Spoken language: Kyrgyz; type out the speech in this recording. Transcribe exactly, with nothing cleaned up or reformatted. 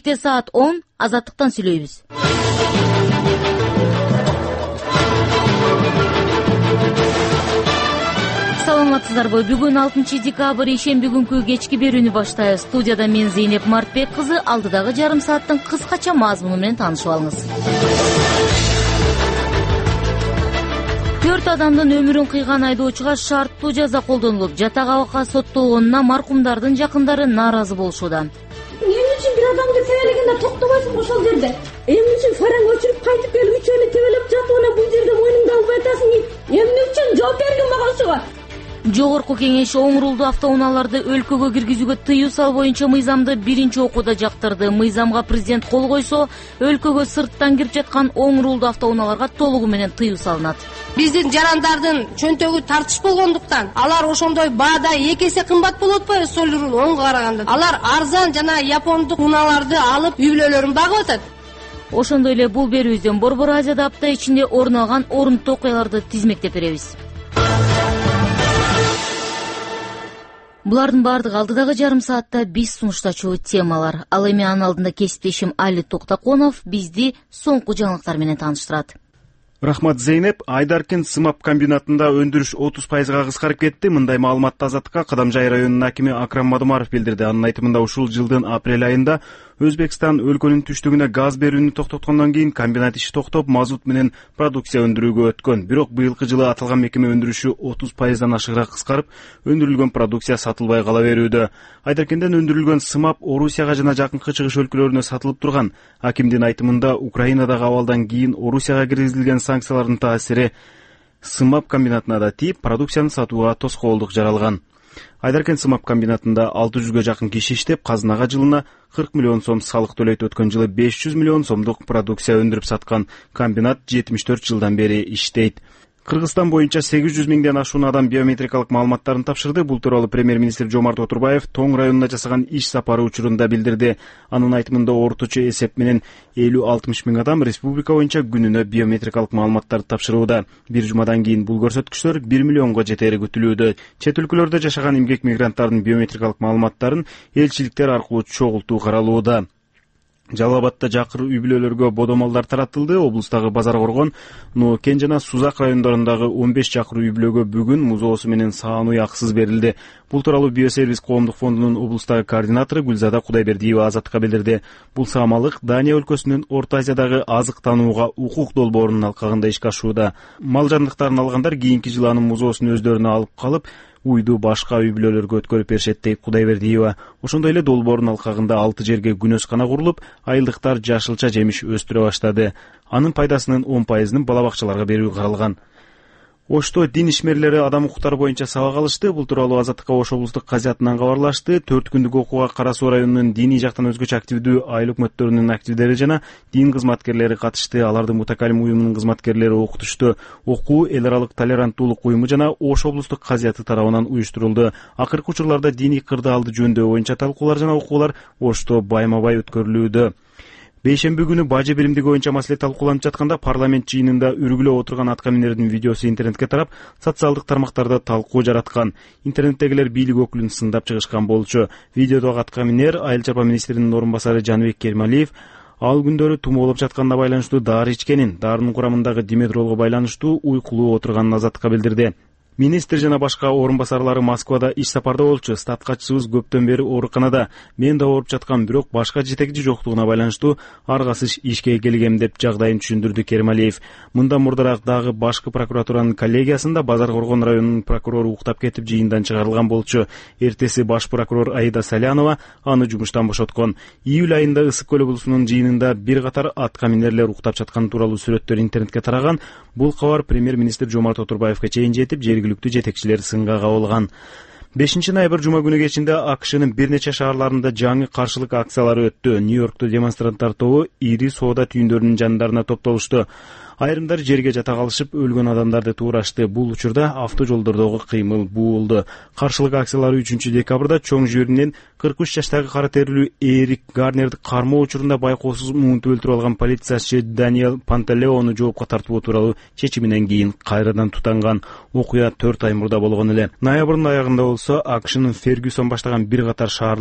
келечекте саат он Азаттыктан сүйлөйбүз. Саламатсыздарбы? Бүгүн алтынчы декабрь ишемби күнкү кечки берүүнү баштайбыз. Студияда мен Зейнеп Мартбек кызы. Алдыдагы жарым сааттын кыскача мазмуну менен таанышып алыңыз. Төрт адамдын өмүрүн кыйган айдоочуга шарттуу жаза колдонулуп, жатак абакка соттолгонуна маркумдардын жакындары нааразы болушууда. Эмне үчүн бир адамды тебелегенде токтобойсуң ошол жерде? Эмне үчүн фараң өчүрүп кайтып келип үч эле тебелеп жатып, бул жерде мойнуңду албай атасың? Эмне үчүн жооп бергин мага ошого? Жогорку кеңеш оң рулдуу автоунааларды өлкөгө киргизүүгө тыюу салуу боюнча мыйзамды биринчи окууда жактырды. Мыйзамга президент кол койсо, өлкөгө сырттан кирип жаткан оң рулдуу автоунааларга толугу менен тыюу салынат. Биздин жарандардын чөнтөгү тартыш болгондуктан алар ошондой баада эки эсе кымбат болуп атпайбы сол рул оңго караганда? Алар арзан жана япондук унааларды алып үй бүлөлөрүн багып атат. Ошондой эле бул берүүбүздөн Борбор Азияда апта ичинде орун алган орунтуу окуяларды тизмектеп беребиз. Булардын баардыгы алдыдагы жарым саатта биз сунуштачу темалар. Ал эми анын алдында кесиптешим Али Токтоконов бизди соңку жаңылыктар менен тааныштырат. Рахмат, Зейнеп. Айдаркент сымап комбинатында өндүрүш отуз пайызга кыскарып кетти. Мындай маалыматты Азаттыкка Кадамжай районунун акими Акрам Мадумаров билдирди. Анын айтымында ушул жылдын апрель айында Өзбекстан өлкөнүн түштүгүнө газ берүүнү токтоткондон кийин комбинат иши токтоп, мазут менен продукция өндүрүүгө өткөн. Бирок быйылкы жылы аталган мекеме өндүрүшү отуз пайыздан ашыгыраак кыскарып, өндүрүлгөн продукция сатылбай кала берүүдө. Айдаркенден өндүрүлгөн сымап Орусияга жана жакынкы чыгыш өлкөлөрүнө сатылып турган. Акимдин айтымында Украинадагы абалдан кийин Орусияга киргизилген санкциялардын таасири сымап комбинатына да тийип, продукцияны сатууга тоскоолдук жаралган. Айдаркент сымап комбинатында алты жүзгө жакын киши иштеп, казынага жылына кырк миллион сом салык төлөйт. Өткөн жылы беш жүз миллион сомдук продукция өндүрүп саткан комбинат жетимиш төрт жылдан бери иштейт. Кыргызстан боюнча сегиз жүз миңден ашуун адам биометрикалык маалыматтарын тапшырды. Бул тууралуу премьер-министр Жомарт Отурбаев Тоң районуна жасаган иш сапары учурунда билдирди. Анын айтымында орточо эсеп менен элүү алтымыш миң адам республика боюнча күнүнө биометрикалык маалыматтарды тапшырууда. Бир жумадан кийин бул көрсөткүчтөр бир миллионго жетери күтүлүүдө. Чет өлкөлөрдө жашаган эмгек мигранттардын биометрикалык маалыматтарын элчиликтер аркылуу чогултуу каралууда. Жалал Абадта жакыр үй бүлөлөргө бодомалдар таратылды. Облустагы Базар Коргон, Ноокен жана Сузак райондорундагы он беш жакыр үй бүлөгө бүгүн музоосу менен саан уй акысыз берилди. Бул тууралуу Биосервис коомдук фондунун облустагы координатору Гүлзада Кудайбердиева Азаттыкка билдирди. Бул саамалык Дания өлкөсүнүн Орто Азиядагы азык таанууга укук долбоорунун алкагында ишке ашууда. Мал жандыктарын алгандар кийинки жылы анын музоосун өздөрүнө алып калып, уйду башка үй бүлөлөргө өткөрүп беришет, дейт Кудайбердиева. Ошондой эле долбоордун алкагында алты жерге күнөскана курулуп, айылдыктар жашылча жемиш өстүрө баштады. Анын пайдасынын он пайызын бала бакчаларга берүү каралган. Ошто дин ишмерлери адам укуктары боюнча сабак алышты. Бул тууралуу Азаттыкка Ош облустук казиятынан кабарлашты. төрт күндүк окууга Кара Суу районунун диний жактан өзгөчө активдүү айыл өкмөттөрүнүн активдери жана дин кызматкерлери катышты. Аларды Мутакалим уюмунун кызматкерлери окутушту. Окуу эл аралык толеранттуулук уюму жана Ош облустук казияты тарабынан уюштурулду. Акыркы учурларда диний кырдаалды жөндөөө боюнча талкуулар жана окуулар Ошто байма-бай өткөрүлүүдө. Бейшемби күнү бажы биримдиги боюнча маселе талкууланып жатканда парламент жыйынында үргүлөп отурган аткаминердин видеосу интернетке тарап, социалдык тармактарда талкуу жараткан. Интернеттегилер бийлик өкүлүн сындап чыгышкан болчу. Видеодогу аткаминер айыл чарба министринин орун басары Жаныбек Кермалиев ал күндөрү тумоолоп жатканына байланыштуу дары ичкенин, дарынын курамындагы диметролго байланыштуу уйкулуу отурганын Азаттыкка билдирди. Министр жана башка орун басарлары Москвада иш сапарда болчу. Статкачыбыз көптөн бери ооруканада. Мен да ооруп жаткам, бирок башка жетекчи жоктугуна байланыштуу аргасыз ишке келгем, деп жагдайын түшүндүрдү Кермалиев. Мындан мурдараак дагы башкы прокуратуранын коллегиясында Базар Коргон районунун прокурору уктап кетип жыйындан чыгарылган болчу. Эртеси баш прокурор Аида Салянова аны жумуштан бошоткон. Июль айында Ысык көл облусунун жыйынында бир катар аткаминерлер уктап жаткан тууралуу сүрөттөр интернетке тараган. Бул кабар премьер-министр Жомарт Отурбаевга чейин жетип, жергиликтүү жетекчилер сынга кабылган. бешинчи ноябрь жума күнү кечинде АКШнын бир нече шаарларында жаңы каршылык акциялары өттү. Нью-Йоркту демонстранттар тобу ири соода түйүндөрүнүн жандарына топтолушту. Айрымдар жерге жата калышып, өлгөн адамдарды туурашты. Бул учурда автожолдордогу кыймыл буулду. Каршылык акциялары үчүнчү декабрда чоң жүйрүнөн кырк үч жаштагы кара терилүү Эрик Гарнерди кармоо учурунда байкоосуз муунтуп өлтүрүп алган полициячы Даниэл Пантелеону жоопко тартуу тууралуу чечиминен кийин кайрадан тутанган. Окуя төрт ай мурда болгон эле. Ноябрдын аягында болсо АКШнын Фергюсон баштаган бир катар шаар